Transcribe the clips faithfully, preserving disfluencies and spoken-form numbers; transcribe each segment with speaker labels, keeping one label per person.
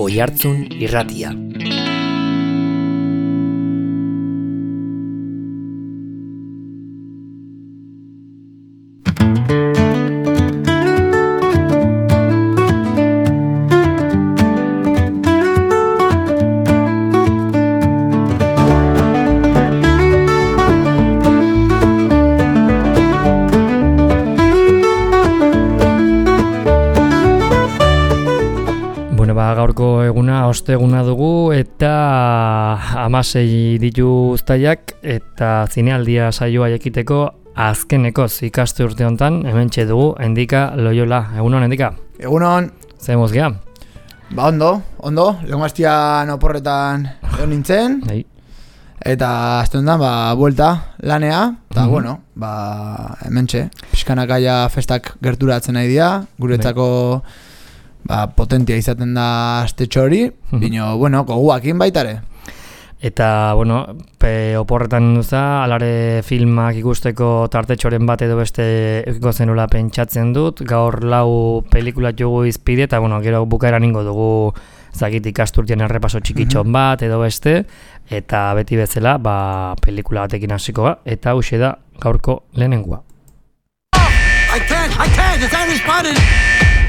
Speaker 1: Oihartzun Irratia.
Speaker 2: Gaurko eguna osteguna dugu eta hamasei ditu uztaiak eta zinealdia saioa ekiteko azkenekoz ikaste urte hontan hementxe dugu Endika Loyola. Egunon, Endika?
Speaker 3: Egunon.
Speaker 2: Zer mozgea?
Speaker 3: Ba ondo, ondo. Lehenko hastian oporretan egon nintzen. Hey. Eta azte hontan, ba, buelta lanea. Eta, mm-hmm. bueno, ba, hementxe. Pixkanakaia festak gerturatzen nahi dira. Guretzako... Hey. Ba, potentia izaten da astetxo hori, bino, bueno, goguakin baitare.
Speaker 2: Eta, bueno, pe oporretan duza, alare filmak ikusteko tartetxoren bat edo beste eukiko zenula pentsatzen dut, gaur lau pelikula jugu izpide, eta, bueno, gero bukaeran ingo dugu zakit ikasturtien errepaso txikitxon bat edo beste, eta beti bezala, ba, pelikula batekin hasiko ba, eta hauxe da gaurko lehenengua.
Speaker 4: I can't, I can't, it's anti-spotted!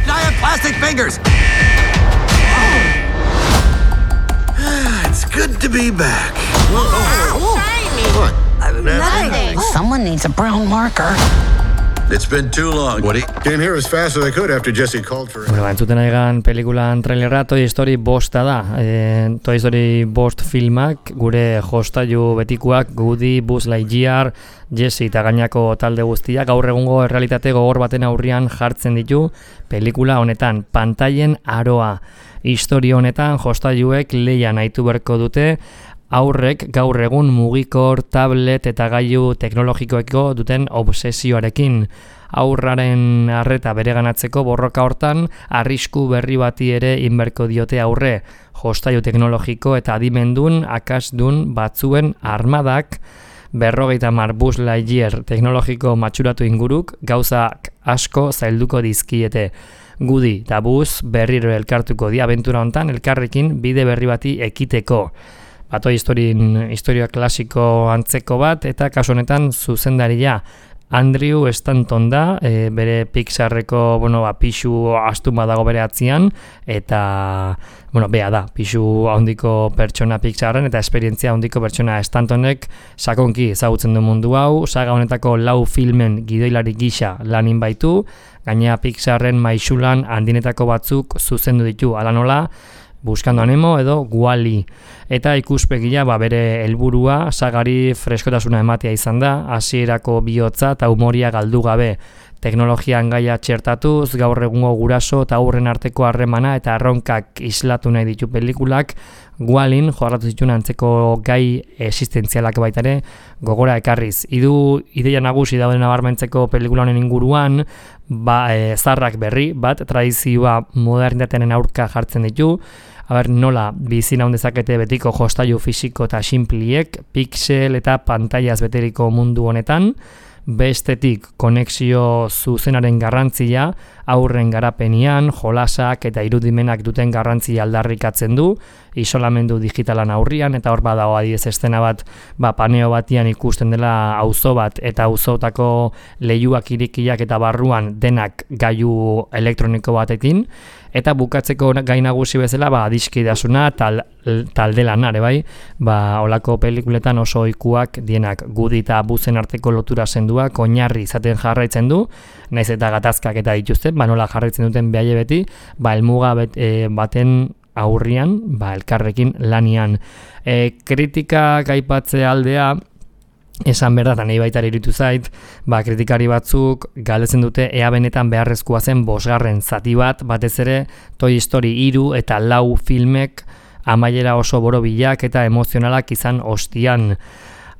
Speaker 4: I have plastic fingers. It's good to be back.
Speaker 5: Whoa, whoa. What? Uh, nothing.
Speaker 6: Someone needs a brown marker.
Speaker 4: It's been too long. Woody came here as fast as I could after Jesse called for it.
Speaker 2: Bueno, entzuten aigan pelikulan trailerra Toy Story bosta da. E, Toy Story bost filmak gure jostailu betikuak Woody, Buzz Lightyear, Jesse eta gainako talde guztia gaur egungo errealitate gogor baten aurrian jartzen ditu pelikula honetan pantailen aroa. Historia honetan jostailuek leia nahitu berko dute aurrek gaur egun mugikor, tablet eta gailu teknologikoeko duten obsesioarekin. Aurraren arreta bereganatzeko borroka hortan arrisku berri bati ere inberko diote aurre. Jostailu teknologiko eta adimendun akasdun batzuen armadak berrogeita hamar Buzz Lightyear teknologiko matxuratu inguruk gauzak asko zailduko dizkiete. Woody eta Buzz berriro elkartuko di abentura hontan elkarrekin bide berri bati ekiteko. Bato historin, historia klasiko antzeko bat, eta kasu honetan zuzendaria Andrew Stanton da, e, bere Pixarreko, bueno, ba, pixu astun badago bere atzian, eta, bueno, bea da, pixu handiko pertsona Pixarren, eta esperientzia handiko pertsona Stantonek sakonki ezagutzen du mundu hau, saga honetako lau filmen gidoilari gisa lanin baitu, gainea Pixarren maisulan handinetako batzuk zuzendu ditu, ala nola, Buscando a Nemo edo Wall-E. Eta ikuspegia ba, bere helburua sagari freskotasuna ematea izan da, hasierako bihotza eta umoria galdu gabe. Teknologian gaia txertatuz, gaur egungo guraso eta aurren arteko harremana eta erronkak islatu nahi ditu pelikulak, Wall-En jorratu zituen antzeko gai existentzialak baita ere gogora ekarriz. Idu ideia nagusi dauden nabarmentzeko pelikula honen inguruan, ba, e, zarrak berri bat tradizioa modernitatearen aurka jartzen ditu. Aber, nola bizina ondezakete betiko jostailu fisiko eta sinpliek, pixel eta pantailaz beteriko mundu honetan, bestetik konexio zuzenaren garrantzia, aurren garapenian, jolasak eta irudimenak duten garrantzia aldarrikatzen du, isolamendu digitalan aurrian, eta hor badago adibidez estena bat, ba, paneo batian ikusten dela auzo bat, eta auzotako leiuak irikiak eta barruan denak gailu elektroniko batekin, eta bukatzeko gai nagusi bezala, ba, adiskidasuna tal, talde lanare bai, ba, olako pelikuletan oso ohikuak dienak Woody eta Buzzen arteko lotura senduak oinarri izaten jarraitzen du, naiz eta gatazkak eta dituzte, ba, nola jarraitzen duten behaie beti, ba, helmuga bet, e, baten aurrian, ba, elkarrekin lanian. E, kritikak aipatze aldea, esan berda, eta nahi baita iruditu zait, ba, kritikari batzuk galdetzen dute ea benetan beharrezkoa zen bosgarren zati bat, batez ere Toy Story hiru eta lau filmek amaiera oso borobilak eta emozionalak izan ostian.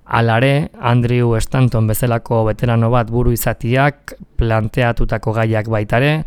Speaker 2: Alare, Andrew Stanton bezalako veterano bat buru izatiak planteatutako gaiak baitare,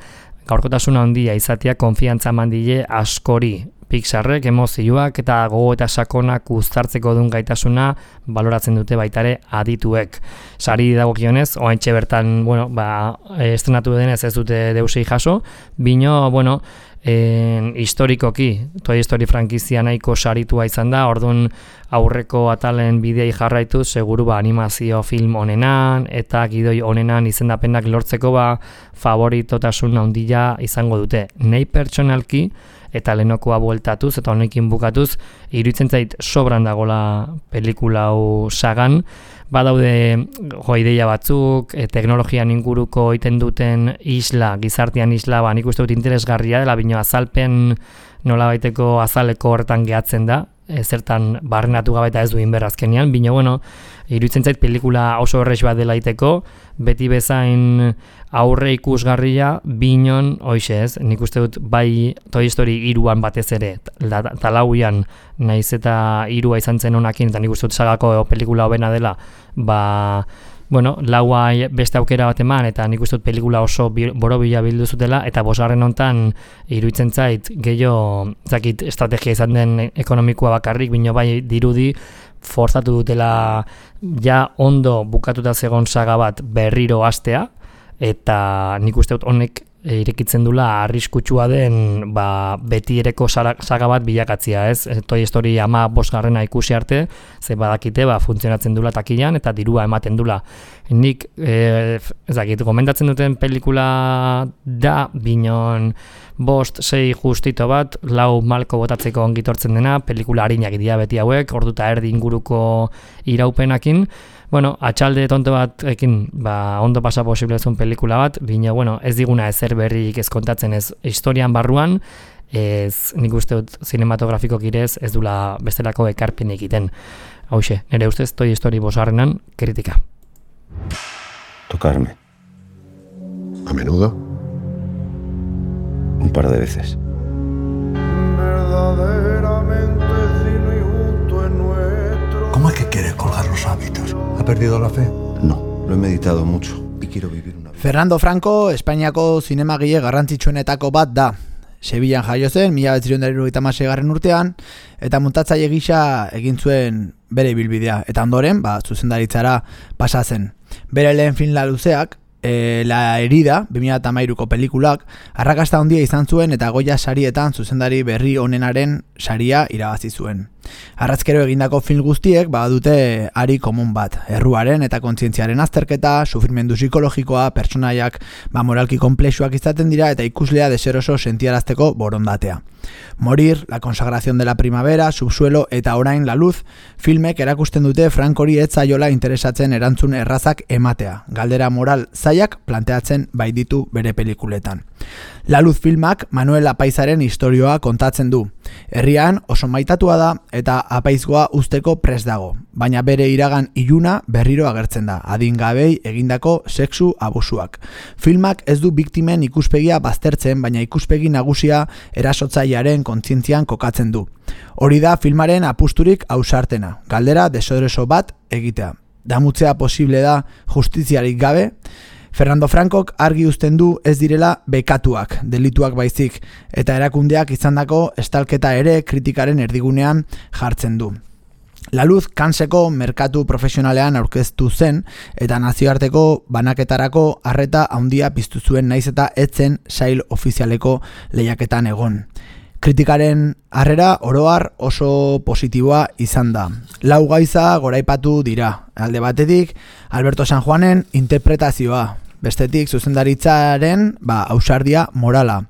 Speaker 2: gaurkotasuna handia izatea konfiantza mandile askori. Pixarrek emozioak eta gogo eta sakonak uztartzeko duen gaitasuna baloratzen dute baitare adituek. Sari dagokionez, oraintxe bertan, bueno, ba, estrenatu denez ez dute deusei jaso, bino, bueno, en, historikoki, Toy Story frankizia nahiko saritua izan da, orduan aurreko atalen bidei jarraitu, seguru ba animazio film onenan, eta gidoi onenan izendapenak lortzeko ba favoritotasun handia izango dute. Nei pertsonalki, eta lehenokoa bueltatuz, eta honekin bukatuz, iruditzen zait sobran dagola pelikula hau sagan, badaude jo ideia batzuk, e, teknologian inguruko egiten duten isla, gizartean isla, ba, nik uste dut interesgarria dela, bino azalpen nolabaiteko azaleko horretan gehatzen da, e, zertan barrenatu gabe eta ez du inber azkenean, bino bueno, iruditzen zait pelikula oso horrex bat dela iteko, beti bezain aurre ikusgarria, binon, hoxe ez, nik uste dut bai Toy Story iruan batez ere, talauian naiz eta irua izan zen honakin, eta nik uste dut sagako pelikula hobena dela, ba, bueno, laua beste aukera bat eman, eta nik uste dut pelikula oso borobila bildu zutela, eta bosgarren hontan iruditzen zait, gehiago, zakit, estrategia izan den ekonomikoa bakarrik, bino bai dirudi, forzatu dutela ja ondo bukatuta zegon saga bat berriro hastea, eta nik uste dut honek irekitzen dula arriskutsua den ba, beti ereko saga bat bilakatzia, ez? Toy Story ama bosgarrena ikusi arte, ze badakite ba, funtzionatzen dula takilan eta dirua ematen dula. Nik, e, ezakit, gomendatzen duten pelikula da, binon bost, sei justito bat, lau malko botatzeko ongitortzen dena, pelikula harinak dira beti hauek, orduta erdi inguruko iraupenakin. Bueno, atxalde tonto bat ekin, ba, ondo pasa posiblezun pelikula bat, bina, bueno, ez diguna ezer berrik ez kontatzen ez historian barruan, ez nik uste dut cinematografiko kirez ez dula bestelako ekarpen egiten. Hauxe, nire ustez Toy Story bosgarrenan kritika.
Speaker 1: Tocarme. ¿A menudo? Un par de veces.
Speaker 7: ¿Cómo es que quiere colgar los hábitos? ¿Ha perdido la fe?
Speaker 1: No, lo he meditado mucho y quiero vivir una vida.
Speaker 3: Fernando Franco, Espainiako zinemagile garrantzitsuenetako bat da. Sevillan jaio zen, mila bederatziehun eta hirurogeita hamaseigarrena urtean, eta muntatzaile gisa egin zuen bere ibilbidea. Eta ondoren, ba, zuzendaritzara pasa zen. Bere lehen film luzeak, E, La herida, bi mila hamairuko pelikulak, arrakasta handia izan zuen eta Goya sarietan zuzendari berri onenaren saria irabazi zuen. Arrazkero egindako film guztiek badute ari komun bat, erruaren eta kontzientziaren azterketa, sufrimendu psikologikoa, pertsonaiak ba, moralki konplexuak izaten dira eta ikuslea deseroso sentiarazteko borondatea. Morir, La consagración de la primavera, Subsuelo eta orain La luz, filmek erakusten dute Frankori ez zaiola interesatzen erantzun errazak ematea, galdera moral zaiak planteatzen baititu bere pelikuletan. La luz filmak Manuel Apaizaren istorioa kontatzen du. Herrian oso maitatua da eta apaizgoa usteko prest dago, baina bere iragan iluna berriro agertzen da, adingabei egindako sexu abusuak. Filmak ez du biktimen ikuspegia baztertzen, baina ikuspegi nagusia erasotzailearen kontzientzian kokatzen du. Hori da filmaren apusturik ausartena, galdera desoreso bat egitea. Damutzea posible da justiziarik gabe. Fernando Frankok argi uzten du ez direla bekatuak, delituak baizik, eta erakundeak izandako estalketa ere kritikaren erdigunean jartzen du. La luz Kanseko merkatu profesionalean aurkeztu zen eta nazioarteko banaketarako arreta handia piztu zuen naiz eta etzen sail ofizialeko lehiaketan egon. Kritikaren harrera oroar oso positiboa izan da. Lau gaiza goraipatu dira. Alde batetik, Alberto San Juanen interpretazioa. Bestetik, zuzendaritzaren ba, ausardia morala.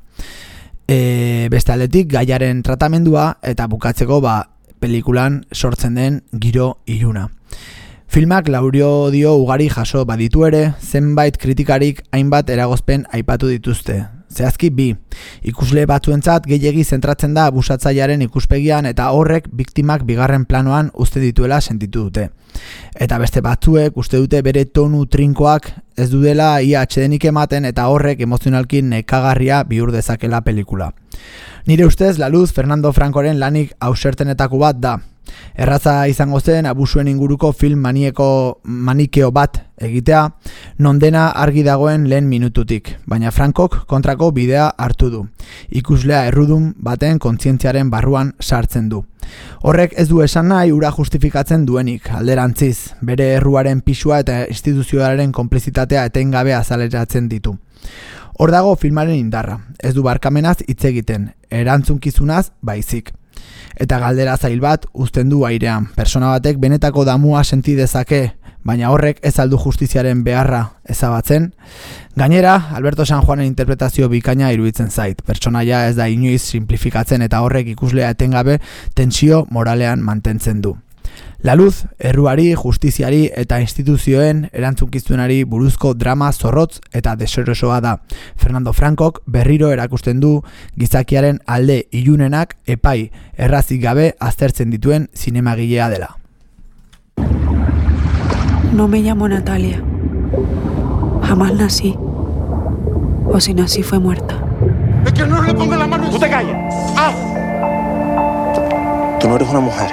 Speaker 3: E, beste aldetik, gaiaren tratamendua eta bukatzeko ba, pelikulan sortzen den giro iluna. Filmak laurio dio ugari jaso baditu ere, zenbait kritikarik hainbat eragozpen aipatu dituzte. Zehazki bi, ikusle batzuentzat gehiegi zentratzen da abusatzailearen ikuspegian eta horrek biktimak bigarren planoan uste dituela sentitu dute. Eta beste batzuek uste dute bere tonu trinkoak ez dudela ia atsedenik ematen eta horrek emozionalki nekagarria bihur dezakela pelikula. Nire ustez, La luz Fernando Francoren lanik ausartenetako bat da. Erraza izango zen abusuen inguruko film manieko manikeo bat egitea, non dena argi dagoen lehen minututik, baina Frankok kontrako bidea hartu du. Ikuslea errudun baten kontzientziaren barruan sartzen du. Horrek ez du esan nahi ura justifikatzen duenik, alderantziz, bere erruaren pisua eta instituzioaren konplizitatea etengabe azaleratzen ditu. Hor dago filmaren indarra, ez du barkamenaz hitz egiten, erantzunkizunaz baizik. Eta galdera zail bat uzten du airean, persona batek benetako damua senti dezake, baina horrek ez aldu justiziaren beharra ezabatzen. Gainera, Alberto San Juanen interpretazio bikaina iruditzen zait, pertsonaia ez da inoiz simplifikatzen eta horrek ikuslea etengabe tentsio moralean mantentzen du. La Luz, erruari, justiziari eta instituzioen erantzunkizunari buruzko drama zorrotz eta deserosoa da. Fernando Francok berriro erakusten du gizakiaren alde ilunenak epai errazik gabe aztertzen dituen zinemagilea dela.
Speaker 8: No me llamo Natalia. Jamás nací. O si nací fue muerta.
Speaker 9: ¡Es que no le ponga la mano! ¡Tú te callas! ¡Ah! Tú no eres una mujer.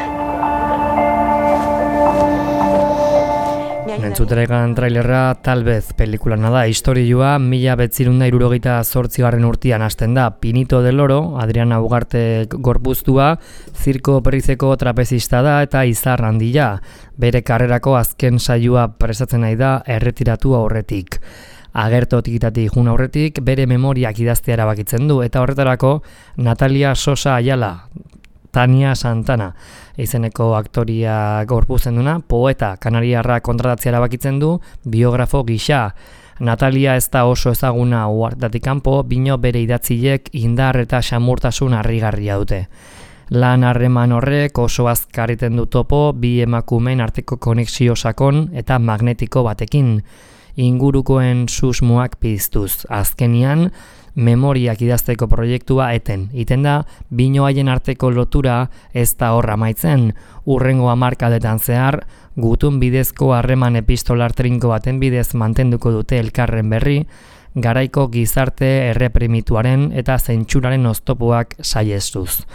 Speaker 2: Entzuterekan trailerra Talvez pelikulana da, historioa mila betzirunda irurogeita zortzigarren urtean hasten da. Pinito del Oro, Adriana Ugarte gorpuztua, zirko perizeko trapezista da eta izar handia. Bere karrerako azken saioa prestatzen nahi da erretiratu aurretik. Agertotikitatik jun aurretik bere memoriak idaztea erabakitzen du eta horretarako Natalia Sosa Ayala, Tania Santana izeneko aktoria gorputzen duna, poeta kanariarra kontratatzea erabakitzen du biografo gisa. Natalia ez da oso ezaguna uhartatik kanpo, bino bere idatzilek indar eta xamurtasun harrigarria dute. Lan harreman horrek oso azkariten du topo bi emakumeen arteko konexio sakon eta magnetiko batekin, ingurukoen susmoak piztuz. Azkenian, memoriak idazteko proiektua eten. Iten da, bino haien arteko lotura ez da horra maitzen. Urrengo hamarkadetan zehar, gutun bidezko harreman epistolar trinko baten bidez mantenduko dute elkarren berri, garaiko gizarte erreprimituaren eta zentsuraren oztopoak saiestuz.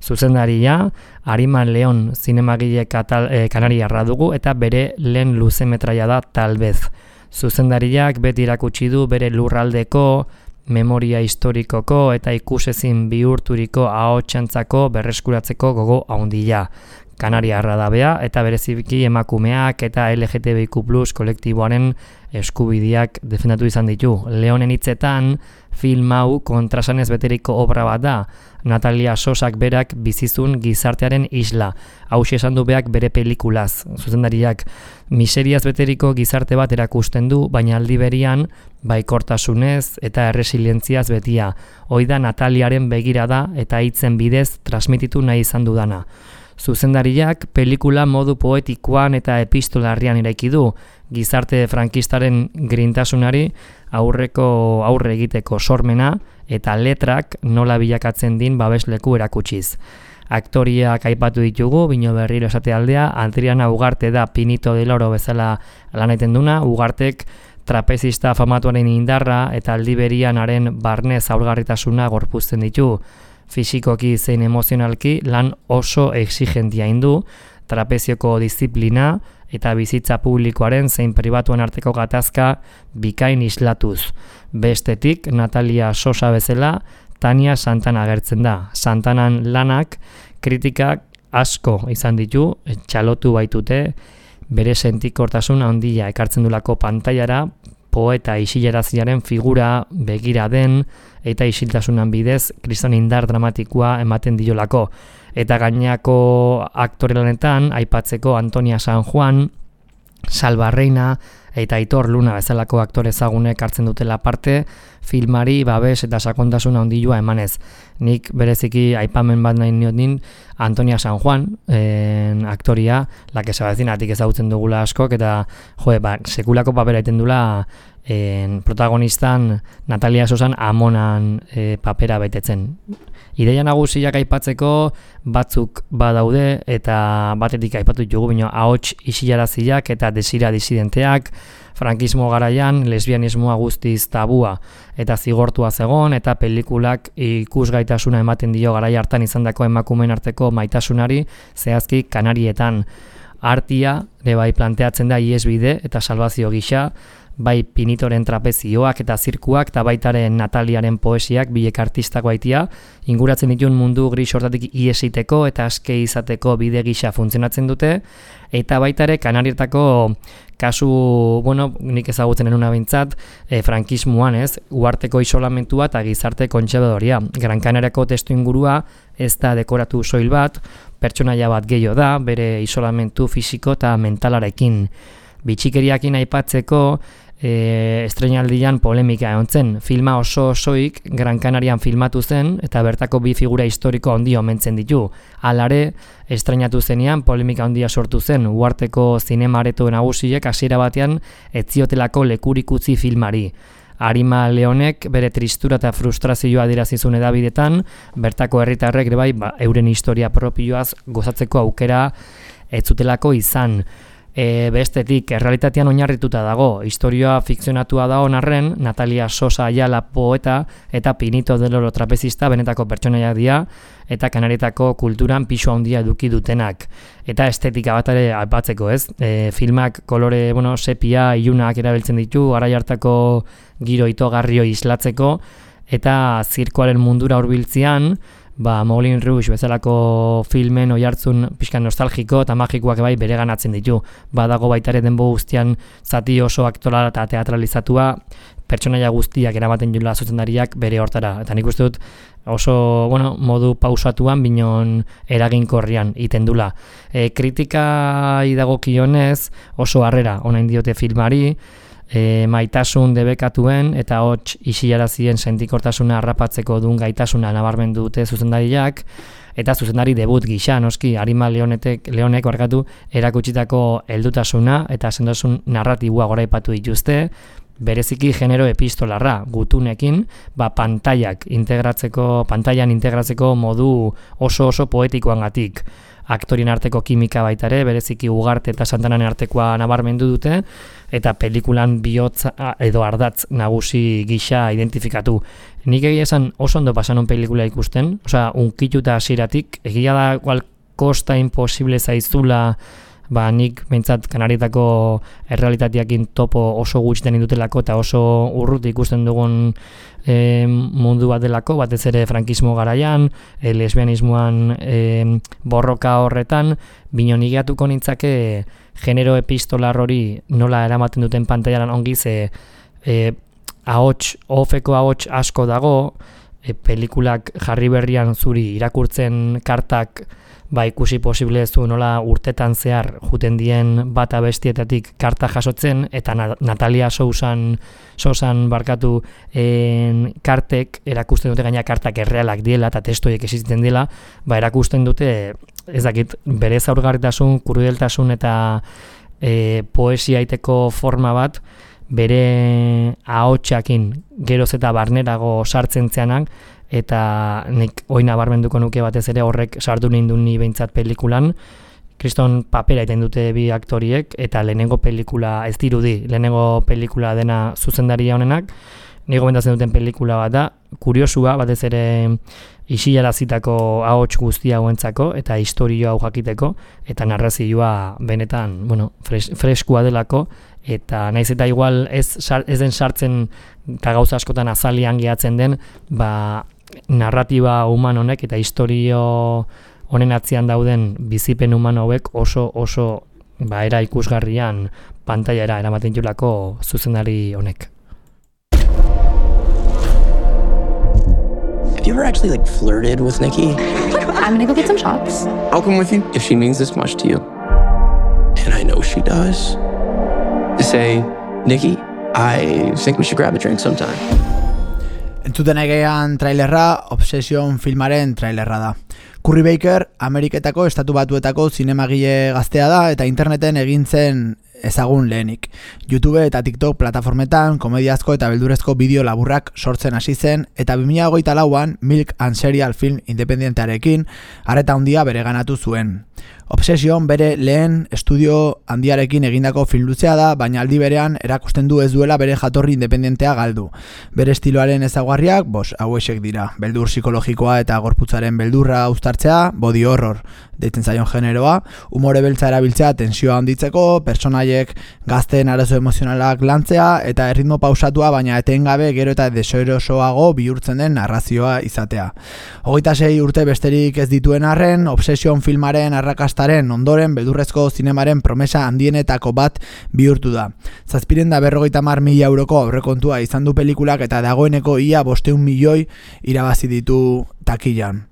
Speaker 2: Zuzendaria, Ariman Leon zinemagile katal, eh, kanariarra dugu eta bere lehen luzemetraia da Talvez. Zuzendariak beti erakutsi du bere lurraldeko, memoria historikoko eta ikusezin bihurturiko ahotsantzako berreskuratzeko gogo handia. Kanariarra da bea eta bereziki emakumeak eta L G T B I Q plus kolektiboaren eskubideak defendatu izan ditu. Leonen hitzetan, film hau kontrasanez beteriko obra bat da. Natalia Sosak berak bizizun gizartearen isla. Hauxe esan du beak bere pelikulaz. Zuzendariak miseriaz beteriko gizarte bat erakusten du, baina aldi berian baikortasunez eta erresilientziaz betia. Hoi da Nataliaren begirada eta hitzen bidez transmititu nahi izan dudana. Zuzendariak pelikula modu poetikoan eta epistolarrian eraiki du, gizarte frankistaren grintasunari aurreko aurre egiteko sormena eta letrak nola bilakatzen din babesleku erakutsiz. Aktoriak aipatu ditugu, bino berriro esate aldea, Adriana Ugarte da Pinito del Oro bezala lan egiten duna, Ugartek trapezista famatuaren indarra eta aldi berianaren barne zaurgarritasuna gorpuzten ditu. Fisikoki zein emozionalki lan oso exigentia indu, trapezioko disiplina eta bizitza publikoaren zein pribatuan arteko gatazka bikain islatuz. Bestetik, Natalia Sosa bezala, Tania Santana agertzen da. Santanan lanak kritikak asko izan ditu, txalotu baitute, bere sentikortasun handia ekartzen dulako pantailara, poeta isilaraziaren figura begira den eta isiltasunan bidez kriston indar dramatikoa ematen diolako. Eta gainako aktore lanetan aipatzeko Antonia San Juan, Salva Reina eta Aitor Luna bezalako aktore ezagunek hartzen dutela parte, filmari babes eta sakontasuna handia emanez. Nik bereziki aipamen bat nahi niotin Antonia San Juan, en, aktoria, la que se va decir, atik ezagutzen dugula askok, eta jo, ba, sekulako papera egiten dula en, protagonistan Natalia Sosan amonan e, papera betetzen. Ideia nagusiak aipatzeko batzuk badaude eta batetik aipatu ditugu, bino ahots isilaraziak eta desira disidenteak, frankismo garaian lesbianismoa guztiz tabua eta zigortua zegon eta pelikulak ikusgaitasuna ematen dio garai hartan izandako emakumeen arteko maitasunari zehazki Kanarietan. Artia ere bai planteatzen da ihesbide eta salbazio gisa, bai Pinitoren trapezioak eta zirkuak, eta baitaren Nataliaren poesiak, bilek artistako aitia, inguratzen ditun mundu gris hortatik iesiteko eta aske izateko bide gisa funtzionatzen dute, eta baitare Kanarietako kasu, bueno, nik ezagutzen enuna bintzat, e, frankismoan, ez, uarteko isolamentua eta gizarte kontsebadoria. Gran Kanariako testu ingurua ez da dekoratu soil bat, pertsonaia bat gehiago da, bere isolamentu fisiko eta mentalarekin. Bitxikeriakin aipatzeko, e, estreinaldian polemika egon zen. Filma oso osoik Gran Canarian filmatu zen, eta bertako bi figura historiko handi omentzen ditu. Halare, estreinatu zenean polemika handia sortu zen, uarteko zinemareto nagusiek hasiera batean ez ziotelako lekurik utzi filmari. Arima Leonek bere tristura eta frustrazioa adirazizun edabidetan, bertako herritarrek ere bai, ba, euren historia propioaz gozatzeko aukera ez zutelako izan. E, bestetik, errealitatean oinarrituta dago, historioa fikzionatua da onarren, Natalia Sosa Ayala poeta eta Pinito del Oro trapezista benetako pertsonaiak dira, eta Kanarietako kulturan pisu handia eduki dutenak. Eta estetika bat ere aipatzeko, ez? E, filmak kolore, bueno, sepia, ilunak erabiltzen ditu, garai hartako giro itogarrio islatzeko, eta zirkoaren mundura hurbiltzean, ba, Moulin Rouge bezalako filmen oihartzun pixkan nostalgiko eta magikoak bai bereganatzen ditu. Badago baitare denbo guztian zati oso aktoral eta teatralizatua, pertsonaia guztiak eramaten jula zuzendariak bere hortara. Eta nik uste dut oso, bueno, modu pausatuan binon eraginkorrian iten dula. E, kritika idagokionez oso harrera onain diote filmari, E, maitasun debekatuen eta hots isilarazien sentikortasuna harrapatzeko duen gaitasuna nabarmendu dute zuzendariak, eta zuzendari debut gisa, noski, Arima Leonetek, Leonek barkatu erakutsitako heldutasuna eta sendotasun narratiboa goraipatu dituzte, bereziki genero epistolarra gutunekin, ba, pantaiak integratzeko, pantailan integratzeko modu oso oso poetikoangatik. Aktorien arteko kimika baita ere, bereziki Ugarte eta Santanaren artekoa nabarmendu dute, eta pelikulan bihotz edo ardatz nagusi gisa identifikatu. Nik egia esan oso ondo pasanon pelikula ikusten, osea, unkituta hasieratik, egia da igual kosta imposible zaizula, ba, nik behintzat Kanarietako errealitateakin topo oso gutxiten indutelako eta oso urrut ikusten dugun e, mundu bat delako, batez ere frankismo garaian, e, lesbianismoan e, borroka horretan, bino nigeatuko nintzake genero epistolar hori nola eramaten duten pantailan ongi ze e, ahots, ofeko ahots asko dago, e, pelikulak jarri berrian zuri irakurtzen kartak ba ikusi posible zu nola urtetan zehar juten dien bata bestietatik karta jasotzen, eta Natalia Sousan, Sousan barkatu en, kartek erakusten dute gaina kartak errealak diela eta testoiek existitzen dela, ba erakusten dute ez dakit bere zaurgarritasun, krudeltasun eta e, poesia iteko forma bat bere ahotsakin geroz eta barnerago sartzen zeanak, eta nik oina barmenduko nuke batez ere horrek sartu nindu ni behintzat pelikulan. Kriston papera iten dute bi aktoriek, eta lehenengo pelikula ez dirudi, lehenengo pelikula dena zuzendaria honenak, nigo bendatzen duten pelikula bat da, kuriosua batez ere isilarazitako ahots guztia hauentzako, eta historioa hau jakiteko, eta narrazioa benetan, bueno, fres, freskua delako, eta naiz eta igual ez, ez den sartzen eta gauza askotan azalian gehatzen den, ba, narratiba human honek eta historio honen atzian dauden bizipen human hauek oso oso ba, era ikusgarrian pantailara eramaten julako zuzendari honek.
Speaker 10: Have you ever actually like flirted with Nikki?
Speaker 11: I'm gonna go get some shots.
Speaker 10: I'll come with you if she means this much to you. And I know she does. To say, Nikki, I think we should grab a drink sometime.
Speaker 3: Entzuten egean trailerra, Obsession filmaren trailerra da. Curry Baker, Ameriketako estatu batuetako zinemagile gaztea da eta interneten egin zen ezagun lehenik. YouTube eta TikTok plataformetan komediazko eta beldurezko bideo laburrak sortzen hasi zen, eta bi mila hogeita lauan Milk and Serial film independentearekin arreta handia bereganatu zuen. Obsession bere lehen estudio handiarekin egindako film luzea da, baina aldi berean erakusten du ez duela bere jatorri independentea galdu. Bere estiloaren ezaugarriak, bos, hauexek dira. Beldur psikologikoa eta gorputzaren beldurra uztartzea, body horror. deitzen zaion generoa, umore beltza erabiltzea tensioa handitzeko, personaiek gazteen arazo emozionalak lantzea, eta erritmo pausatua, baina etengabe gero eta deserosoago bihurtzen den narrazioa izatea. Hogeita sei urte besterik ez dituen arren, Obsession filmaren arrakastaren ondoren beldurrezko zinemaren promesa handienetako bat bihurtu da. Zazpiren da berrogeita hamar mila euroko aurrekontua izan du pelikulak eta dagoeneko ia bosteun milioi irabazi ditu takilan.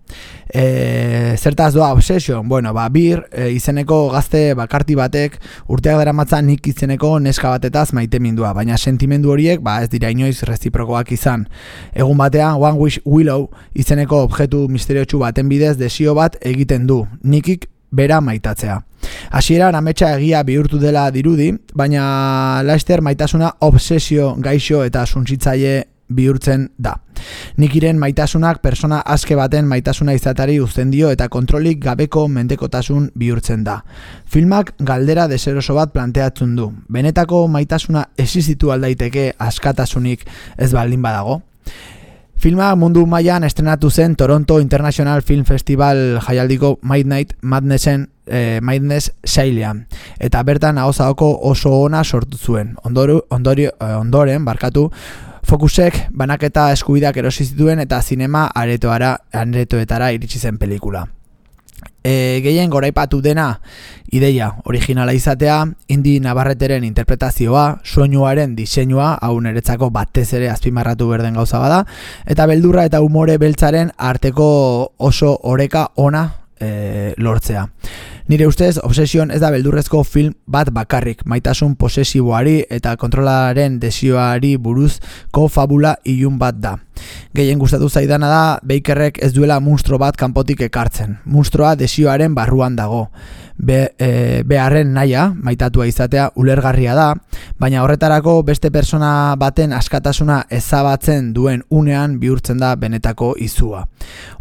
Speaker 3: E, zertaz doa Obsession? Bueno, ba, Bir e, izeneko gazte bakarti batek urteak daramatza Nick izeneko neska batetaz maitemindua, baina sentimendu horiek ba, ez dira inoiz reziprokoak izan. Egun batean, One Wish Willow izeneko objektu misteriotsu baten bidez desio bat egiten du, Nickik bera maitatzea. Hasieran ametsa egia bihurtu dela dirudi, baina laster maitasuna obsesio gaixo eta suntsitzaile bihurtzen da. Nikiren maitasunak persona aske baten maitasuna izatari uzten dio eta kontrolik gabeko mendekotasun bihurtzen da. Filmak galdera deseroso bat planteatzen du. Benetako maitasuna existitu aldaiteke askatasunik ez baldin badago? Filma mundu mailan estrenatu zen Toronto International Film Festival jaialdiko Midnight Madnessen eh, Madness sailean, eta bertan ahozako oso ona sortu zuen. Ondoru, ondori, ondoren, barkatu, Focusek banaketa eskubideak erosi zituen eta zinema aretoara, aretoetara iritsi zen pelikula. E, gehien goraipatu dena ideia originala izatea, Indi Navarreteren interpretazioa, soinuaren diseinua, hau niretzako batez ere azpimarratu berden gauza bada, eta beldurra eta umore beltzaren arteko oso oreka ona e, lortzea. Nire ustez, Obsession ez da beldurrezko film bat bakarrik, maitasun posesiboari eta kontrolaren desioari buruzko fabula ilun bat da. Gehien gustatu zaidana da, Bakerrek ez duela munstro bat kanpotik ekartzen. Munstroa desioaren barruan dago. Be, e, beharren naia, maitatua izatea, ulergarria da, baina horretarako beste persona baten askatasuna ezabatzen duen unean bihurtzen da benetako izua.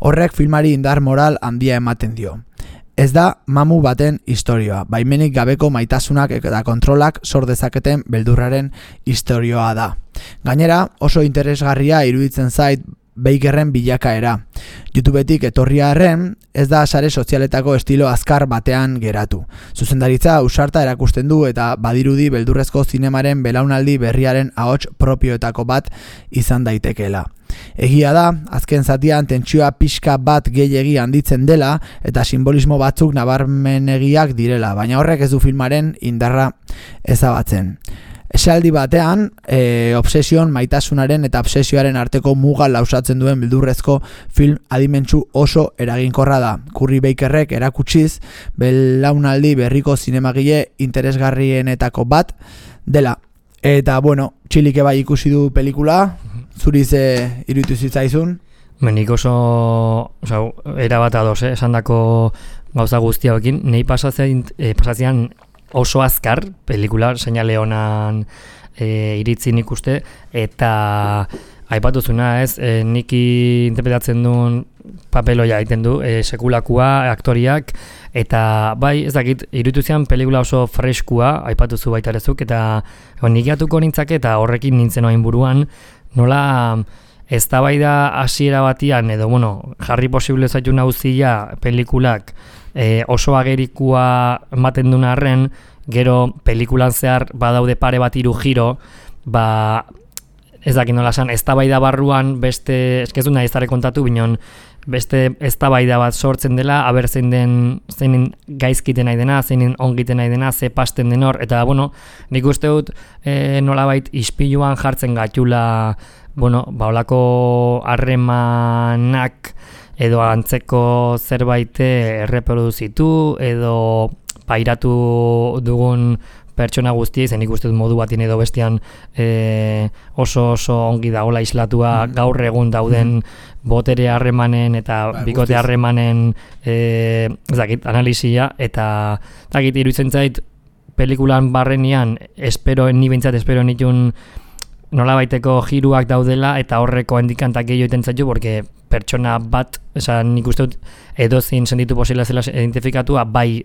Speaker 3: Horrek filmari indar moral handia ematen dio. Ez da mamu baten istorioa, baimenik gabeko maitasunak eta kontrolak sor dezaketen beldurraren istorioa da. Gainera, oso interesgarria iruditzen zait Bakerren bilakaera. YouTubetik etorria arren, ez da sare sozialetako estilo azkar batean geratu. Zuzendaritza ausarta erakusten du eta badirudi beldurrezko zinemaren belaunaldi berriaren ahots propioetako bat izan daitekeela. Egia da, azken zatian tentsioa pixka bat gehiegi handitzen dela eta simbolismo batzuk nabarmenegiak direla, baina horrek ez du filmaren indarra ezabatzen. Esaldi batean, e, Obsession maitasunaren eta obsesioaren arteko muga lausatzen duen beldurrezko film adimentsu oso eraginkorra da. Curry Bakerrek erakutsiz, belaunaldi berriko zinemagile interesgarrienetako bat dela. Eta, bueno, Txilike bai ikusi du pelikula, zuri ze iruditu zitzaizun?
Speaker 2: Menik oso, oza, erabat ados, eh? Esan dako gauza guztiaokin, nahi pasatzen, eh, pasatzen oso azkar, pelikula, seinale honan e, iritzin ikuste, eta aipatuzuna ez, e, niki interpretatzen duen papeloia egiten du, e, sekulakua, aktoriak, eta bai, ez dakit, iruditu zian pelikula oso freskua, aipatuzu baita erezuk, eta nik atuko nintzake, eta horrekin nintzen oain buruan, nola eztabaida hasiera batian, edo, bueno, jarri posible zaitu nauzia pelikulak, E, oso agerikua ematen duen arren, gero pelikulan zehar badaude pare bat hiru giro, ba, ez dakit nola esan, eztabaida barruan beste, eskezu nahi ez dara kontatu, binon, beste eztabaida bat sortzen dela, aber zein den, zein gaizkiten nahi dena, zein ongiten nahi dena, ze pasten den hor, eta, bueno, nik uste dut e, nolabait ispiluan jartzen gatula, bueno, ba, olako harremanak, edo antzeko zerbait erreproduzitu, edo pairatu dugun pertsona guztiei, zen ikusten modu batien edo bestian e, oso oso ongi dagoela islatua mm. gaur egun dauden mm. botere harremanen eta ba, bikote harremanen e, ez dakit, analisia, eta dakit, iruditzen zait pelikulan barrenian, espero, ni bintzat espero nitun nola baiteko jiruak daudela, eta horreko hendikantak gehiago iten zaitu, porque pertsona bat, esan nik uste dut edozin senditu posibila zela identifikatua, bai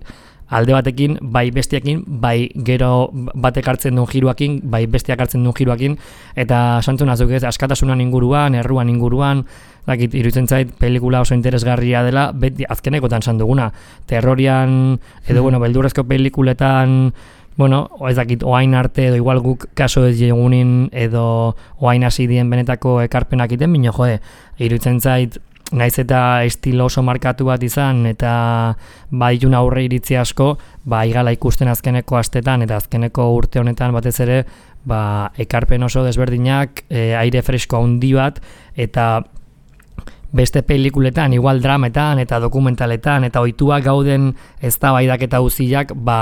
Speaker 2: alde batekin, bai bestiakin, bai gero batek hartzen duen jiruakin, bai bestiak hartzen duen jiruakin, eta santu nazuk ez, askatasunan inguruan, erruan inguruan, dakit, iruditzen zait, pelikula oso interesgarria dela, beti azkenekotan esan duguna, terrorian, edo, hmm. bueno, beldurrezko pelikuletan, bueno, ez dakit, oain arte, edo igual guk kaso ez jegunin, edo oain hasi dien benetako ekarpenak iten, bino, jode, iruditzen zait, naiz eta estilo oso markatu bat izan, eta baitun aurre iritzi asko, ba, igala ikusten azkeneko astetan, eta azkeneko urte honetan batez ere, ba, ekarpen oso desberdinak, e, aire fresko handi bat, eta beste pelikuletan, igual drametan, eta dokumentaletan, eta ohituak gauden eztabaidak eta uziak, ba,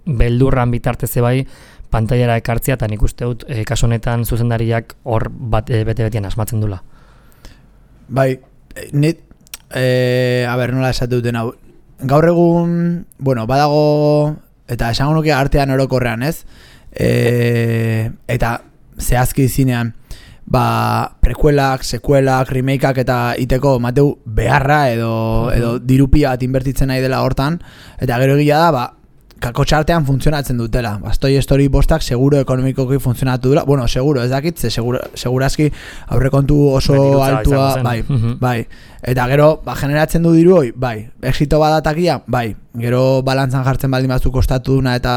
Speaker 2: beldurran bitartez bai, pantailara ekartzea, eta nik uste dut, e, kasu honetan zuzendariak hor bat, e, bete-betian asmatzen dula.
Speaker 3: Bai, nit, e, a ber, nola esatu duten hau, gaur egun, bueno, badago, eta esango nuke artean orokorrean, ez? E, eta zehazki zinean, ba, prekuelak, sekuelak, remakeak eta iteko mateu beharra edo, edo dirupia bat inbertitzen nahi dela hortan, eta gero egia da, ba, kakotxartean funtzionatzen dutela. Bastoi Story bostak seguro ekonomikoki funtzionatu dela. Bueno, seguro, ez dakit, ze segura, segurazki aurrekontu oso altua, bai, bai. Eta gero, ba, generatzen du diru hoi, bai. Exito badatakia, bai. Gero balantzan jartzen baldin batzuk kostatu duna eta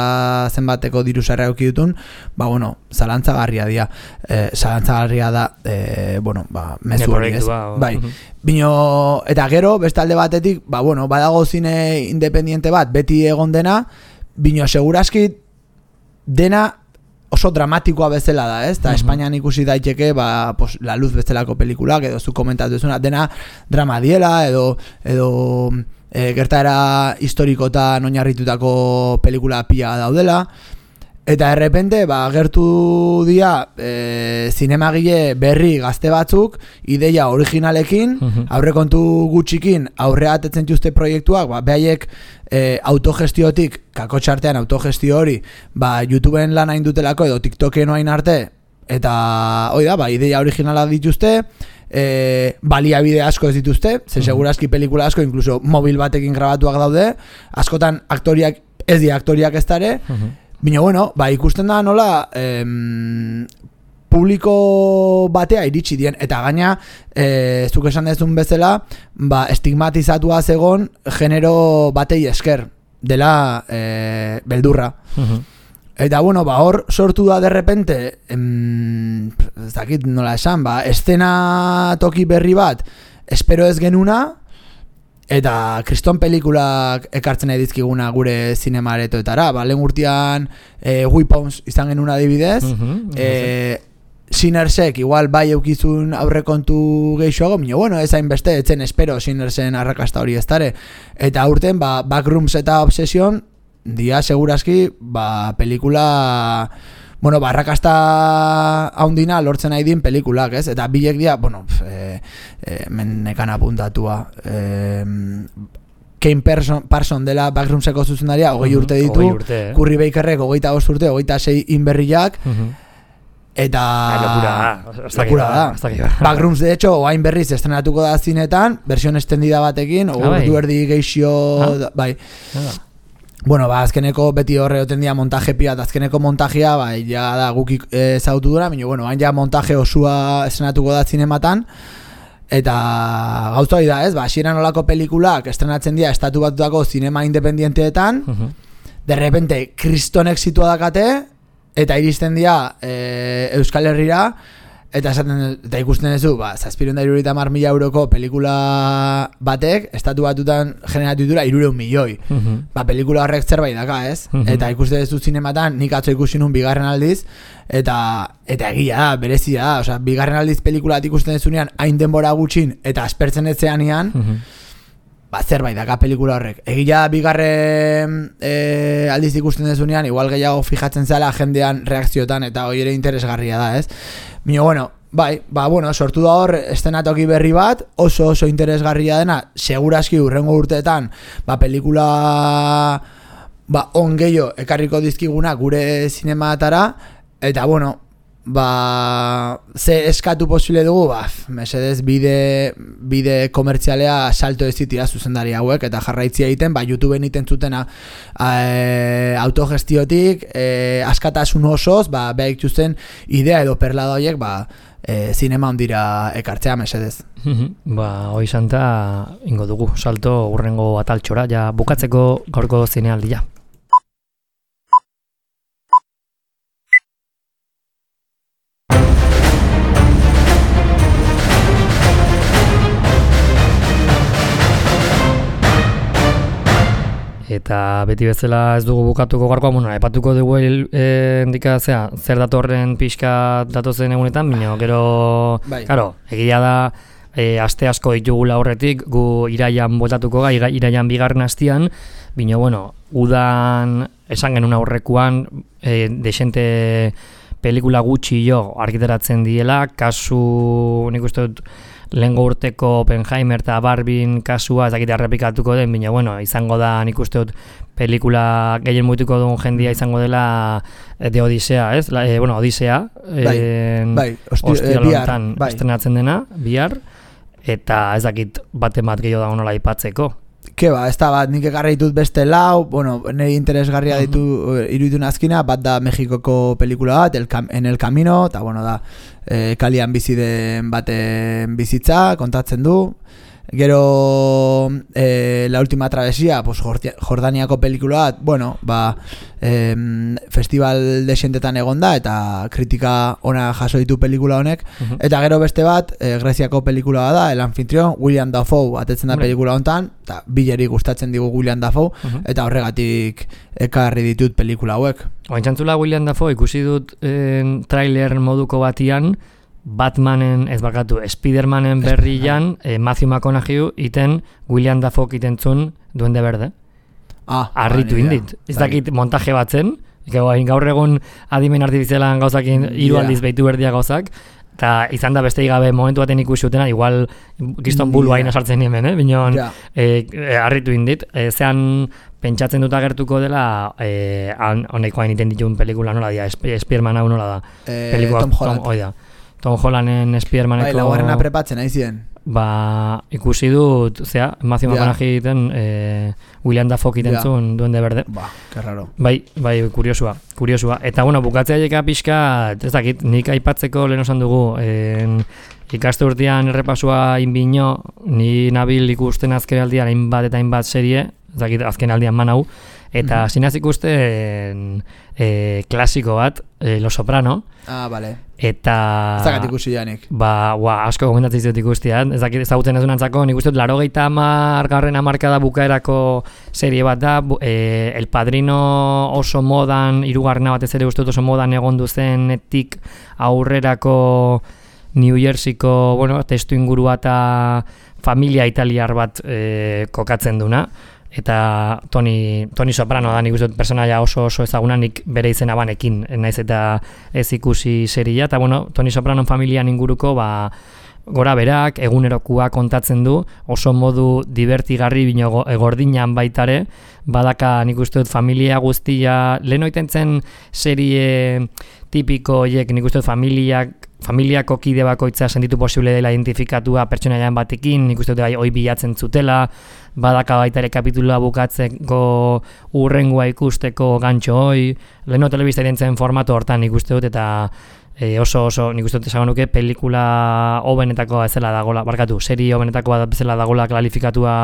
Speaker 3: zenbateko diru sarrera eduki dutun, ba, bueno, zalantzagarria dira. Eh, zalantzagarria da, eh, bueno, ba, mezu hori, ez? Bai. Bino, eta gero, beste alde batetik, ba, bueno, badago zine independiente bat, beti egon dena, bino, segurazki dena oso dramatikoa bezala da, ez? Eta uh-huh. Espainian ikusi daiteke, ba, pues, La Luz bezalako pelikulak, edo zu komentatu duzuna, dena drama diela, edo, edo e, gertaera historikotan oinarritutako pelikula pila daudela, eta errepente, ba, gertu dia e, zinemagile berri gazte batzuk, ideia originalekin, uh-huh. aurrekontu gutxikin aurrea atetzen dituzte proiektuak, ba, behaiek e, autogestiotik, kakotxartean autogestio hori, ba, YouTubeen lan hain dutelako edo TikToken hain arte, eta hoi da, ba, ideia originala dituzte, e, baliabide asko ez dituzte, ze segurazki pelikula asko, inkluso mobil batekin grabatuak daude, askotan aktoriak, ez di aktoriak ez dare, uh-huh. Bino, bueno, ba, ikusten da nola em, publiko batea iritsi dien, eta gaina, e, zuk esan dezun bezala, ba, estigmatizatua zegon genero batei esker dela e, beldurra. Uh-huh. Eta, bueno, ba, hor sortu da derrepente, em, ez dakit nola esan, ba, estena toki berri bat, espero ez genuna, eta kriston pelikulak ekartzen edizkiguna gure zinemaaretoetara. Ba, lehen urtean e, Weapons izan genuen adibidez, uh-huh, e, Sinnersek igual bai eukizun aurrekontu geixoago, minio, bueno, ez hainbeste, etzen espero Sinnersen arrakasta hori ez dare. Eta urten, ba, Backrooms eta Obsession, dia segurazki, ba, pelikula... Bueno, barrakasta haundina lortzen nahi din pelikulak, ez? Eta bilek dia, bueno, e, e, menekan apuntatua. E, Kane Parson, Parson dela Backroomseko zuzendaria, hogei urte ditu, uh-huh, urte, eh? Curry Bakerrek hogeita bost urte, hogeita sei inberriak, uh-huh. Eta... Lokura da. Backrooms, de hecho, oain berriz estrenatuko da zinetan, versión extendida batekin, o ah, du erdi geixio, ah? Bai. Ah. Bueno, ba, azkeneko beti horre oten dia montaje pia, eta azkeneko montajea, ba, ja da guk ezagutu dura, baina, bueno, hain ja montaje osua estrenatuko da zinematan, eta gauza hori da, ez, ba, hasieran olako pelikulak estrenatzen dira estatu batutako zinema independienteetan, uh-huh. De repente, kriston exitua dakate, eta iristen dira e, Euskal Herrira, eta esaten, eta ikusten duzu, ba, zazpireun da hirurogeita hamar mila euroko pelikula batek, estatu batutan generatu ditura hirureun milioi. Uh-huh. Ba, pelikula horrek zerbait daka, ez? Uh-huh. Eta ikusten duzu zinematan, nik atzo ikusi nun bigarren aldiz, eta eta egia da, berezia da, osea, bigarren aldiz pelikulat ikusten duzunean, hain denbora gutxin, eta aspertzen etzeanian, uh-huh. Ba, zerbait daka pelikula horrek. Egia bigarren e, aldiz ikusten dezunean, igual gehiago fijatzen zela jendean reakziotan, eta hori ere interesgarria da, ez? Mino, bueno, bai, ba, bueno, sortu da hor estenatoki berri bat, oso oso interesgarria dena, segurazki urrengo urteetan, ba, pelikula ba, on gehiago ekarriko dizkiguna gure zinematara, eta, bueno, ba, ze eskatu posible dugu, ba, mesedez bide, bide komertzialea salto ez ditira zuzendari hauek, eta jarraitzia egiten, ba, YouTubeen iten zutena e, autogestiotik, e, askatasun osoz, ba, behar ikusten idea edo perlada horiek, ba, e, zinema ondira ekartzea, mesedez.
Speaker 2: Ba, hoi santa ingo dugu, salto urrengo ataltxora, ja bukatzeko gaurko zinealdia. Eta beti bezala ez dugu bukatuko gaurkoa, bueno, epatuko dugu e, indika, zera, zer datorren pixka datozen egunetan, bino, gero, bai. Karo, egia da, e, aste asko ditugula horretik, gu iraian botatuko ga, iraian bigarren hastian, bino, bueno, udan esan genuen aurrekuan, e, desente pelikula gutxi jo argitaratzen diela, kasu, nik uste dut, lehengo urteko Oppenheimer eta Barbien kasua ez dakit errepikatuko den, baina bueno, izango da nik uste dut pelikula gehien mutuko duen jendia izango dela de Odisea, ez? La, e, bueno, Odisea
Speaker 3: bai,
Speaker 2: en,
Speaker 3: bai,
Speaker 2: ostiral honetan bai. Estrenatzen dena, bihar, eta ez dakit bate bat gehiago da honola aipatzeko.
Speaker 3: Ke ba, ez da bat, nik ekarri ditut beste lau, bueno, nire interesgarria ditu uh-huh. iruditu nazkina, bat da Mexikoko pelikula bat, el, En el Camino, eta bueno, da, e, kalian bizi den baten bizitza, kontatzen du. Gero e, La Última Travesía, pues, Jordaniako pelikula bat, bueno, ba, e, festival desientetan egon da, eta kritika ona jaso ditu pelikula honek, uh-huh. eta gero beste bat, e, Greziako pelikula bat da, El Anfitrión, William Dafoe, atetzen da uh-huh. pelikula honetan, eta bileri gustatzen digu William Dafoe, uh-huh. eta horregatik ekarri ditut pelikula hauek.
Speaker 2: Ointxantzula William Dafoe, ikusi dut en, trailer moduko batian, Batmanen, ez bakatu, Spidermanen berrian, eh, Matthew McConaughey iten William Dafoe itentzun Duende Berde.
Speaker 3: Ah,
Speaker 2: arritu indit. Ez dakit montaje batzen, gaur egun adimen artifizialan gauzakin hiru yeah. aldiz behitu berdia gauzak, eta izan da beste gabe momentu baten ikusi utena, igual gizton bulu hain yeah. sartzen hemen, eh? Binon, yeah. eh, arritu indit. Eh, zean pentsatzen dut agertuko dela eh, honeko hain iten dituen pelikula nola dia, Spiderman hau nola da.
Speaker 3: Eh, pelikula, Tom Holland.
Speaker 2: Tom, oida. Tom Hollanden Spidermaneko...
Speaker 3: Bai, laugarrena prepatzen, nahi ziren.
Speaker 2: Ba, ikusi dut, zera, Matthew McConaughey egiten, eh, William Dafoe egiten zuen Duende Berde.
Speaker 3: Ba, que raro.
Speaker 2: Bai, bai, kuriosua, kuriosua. Eta, bueno, bukatzea jeka pixka, ez dakit, nik aipatzeko lehen osan dugu, en, ikaste urtean errepasua inbino, ni nabil ikusten azken aldian hainbat eta hainbat serie, ez dakit, azken aldian manau, eta mm-hmm. zinaz ikusten e, klasiko bat, e, Los Soprano.
Speaker 3: Ah, bale.
Speaker 2: Eta...
Speaker 3: Zagat ikusi janik.
Speaker 2: Ba, ua, asko gomendatzen zut ikustia. Ez dakit ezagutzen ez dunantzako, nik uste dut larogeita hamargarren hamarkada bukaerako serie bat da, e, El Padrino oso modan, hirugarrena batez ere uste dut oso modan egon duzenetik aurrerako New Jerseyko, bueno, testu ingurua eta familia italiar bat e, kokatzen duna. Eta Tony, Tony Soprano da nik uste dut personaia oso oso ezaguna, nik bere izena banekin, naiz eta ez ikusi seria, eta bueno, Tony Soprano familian inguruko, ba, gora berak, egunerokoa kontatzen du, oso modu divertigarri bino gordinan baitare, badaka nik uste dut familia guztia, lehen oiten zen serie tipiko horiek, nik uste dut familiak, familiako kide bakoitza senditu posible dela identifikatua pertsonaian batekin, nik uste dut hoi bilatzen zutela, badaka baita ere kapitulua bukatzeko urrengoa ikusteko gantxo hoi, leheno telebista irentzen formatu hortan nik uste dut, eta e, oso oso nik uste dut esan nuke pelikula hobenetako bezala dagola, barkatu, serie hobenetako bezala dagola kalifikatua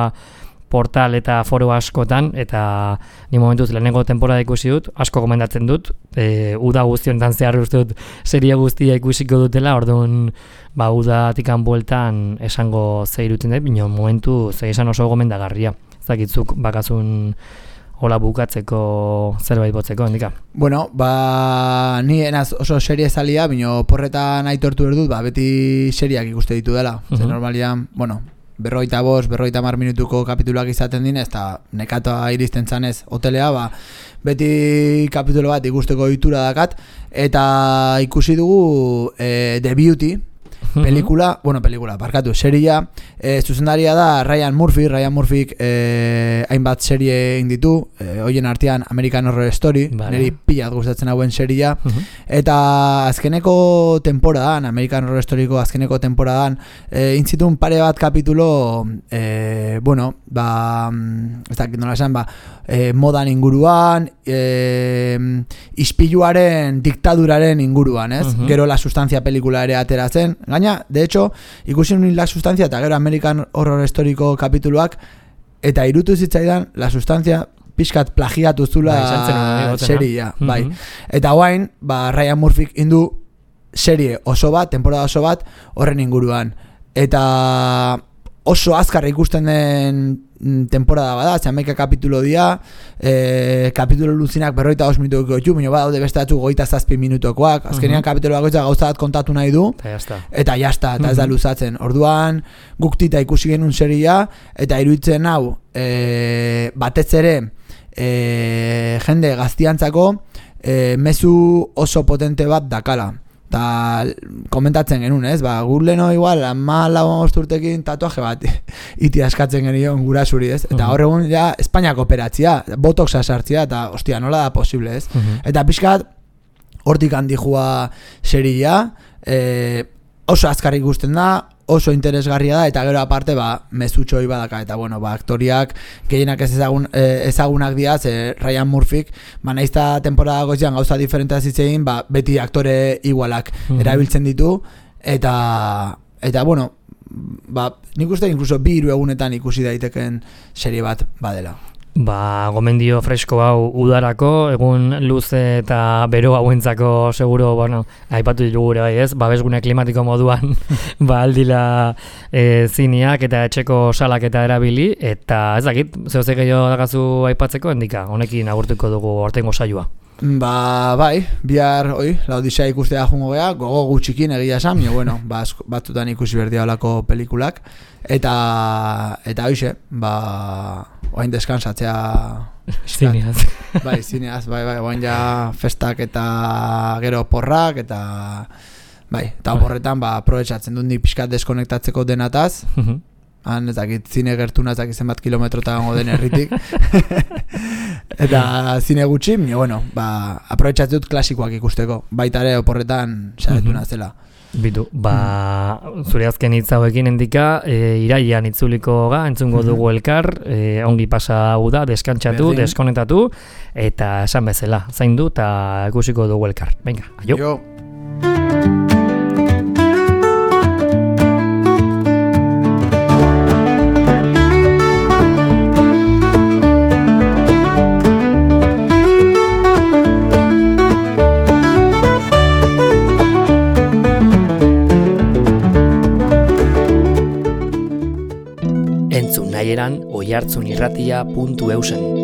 Speaker 2: portal eta foro askotan, eta ni momentuz lehenengo temporada ikusi dut, asko komendatzen dut, e, uda guztionetan zehar uste dut serie guztia ikusiko dutela, orduan ba, udatikan bueltan esango zeiruten dut, bino momentu ze esan oso gomendagarria. Ez dakitzuk bakazun hola bukatzeko zerbait botzeko, handika.
Speaker 3: Bueno, ba, ni enaz oso serie zalia, bino porretan aitortu berdut, ba, beti seriak ikuste ditu dela. Uh-huh. Zer normalian, bueno, berroita bost, berroita mar minutuko kapituluak izaten dine, ez da nekatoa iristen zanez hotelea, ba, beti kapitulo bat ikusteko ditura dakat, eta ikusi dugu e, The Beauty, pelikula, bueno, pelikula, barkatu, seria, e, zuzendaria da Ryan Murphy, Ryan Murphy e, hainbat serie inditu, e, hoien artean American Horror Story, vale. Neri pilat gustatzen hauen seria, uh-huh. Eta azkeneko temporadan, American Horror Storyko azkeneko temporadan, e, intzitun pare bat kapitulo, e, bueno, ba, ez dakit nola esan, ba, e, modan inguruan, e, ispiluaren diktaduraren inguruan, ez? Uh-huh. Gero La Sustancia pelikula ere ateratzen. Gaina, de hecho, ikusi nuen La Sustancia eta gero American Horror Storyko kapituluak eta irutu zitzaidan La Sustancia pixkat plagiatu zula seria, uh-huh. Bai. Eta guain, ba, Ryan Murphy indu serie oso bat, temporada oso bat, horren inguruan. Eta oso azkar ikusten den temporada bada, hamaika kapitulo dia, e, kapitulo luzinak berroita os minutuko ditu, baina badaude beste batzuk goita zazpi minutokoak, azkenean uh-huh. Kapitulo bakoitza gauza bat kontatu nahi du, eta jazta, eta ez da luzatzen. Orduan, guk tita ikusi genuen seria, eta iruditzen hau, e, batez ere, e, jende gaztiantzako, e, mezu oso potente bat dakala. Ta komentatzen genuen, ez? Ba, gurleno igual, ama lau urtekin tatuaje bat iti askatzen genion gurasuri, ez? Eta hor egun ja Espainiako operatzia, botoxa sartzia, eta ostia, nola da posible, ez? Uh-huh. Eta pixkat, hortik handi jua seria, e, oso azkarrik ikusten da, oso interesgarria da, eta gero aparte, ba, mezutxoi badaka, eta bueno, ba, aktoriak gehienak ez ezagun, eh, ezagunak diaz, eh, Ryan Murphyk, ba, naizta temporada gozian gauza diferentea zitzein, ba, beti aktore igualak mm-hmm. erabiltzen ditu, eta, eta bueno, ba, nik uste inkluso bi hiru egunetan ikusi daiteken serie bat badela.
Speaker 2: Ba, gomendio fresko hau udarako, egun luze eta bero hauentzako seguro, bueno, aipatu digure bai ez, babesgune klimatiko moduan ba aldila e, zineak eta etxeko salak eta erabili, eta ez dakit, zehozek gehiago dagazu aipatzeko, endika, honekin agurtuko dugu ortengo saioa.
Speaker 3: Ba, bai, bihar, oi, Laodicea ikustea jungo gea, gogo gutxikin egia esan, jo, bueno, ba, batzutan ikusi berdia olako pelikulak, eta, eta hoize, ba, oain deskansatzea
Speaker 2: zineaz.
Speaker 3: Bai, zineaz, bai, bai, oain ja festak eta gero porrak, eta, bai, eta porretan, ba, aprobetxatzen dut nik pixkat deskonektatzeko denataz, han ez dakit zine gertuna ez dakit zenbat kilometrota gongo den herritik eta zine gutxi, bueno, ba, aprobetxatzen dut klasikoak ikusteko, baita ere oporretan saretuna zela.
Speaker 2: Bitu, ba, zure azken hitz hauekin endika, e, iraian itzuliko ga, entzungo dugu elkar, e, ongi pasa hau da, deskantzatu, Berdin. Deskonektatu, eta esan bezala, zaindu eta ikusiko dugu elkar. Venga, aio.
Speaker 3: Jo.
Speaker 2: Entzun nahieran oihartzunirratia puntu eusen.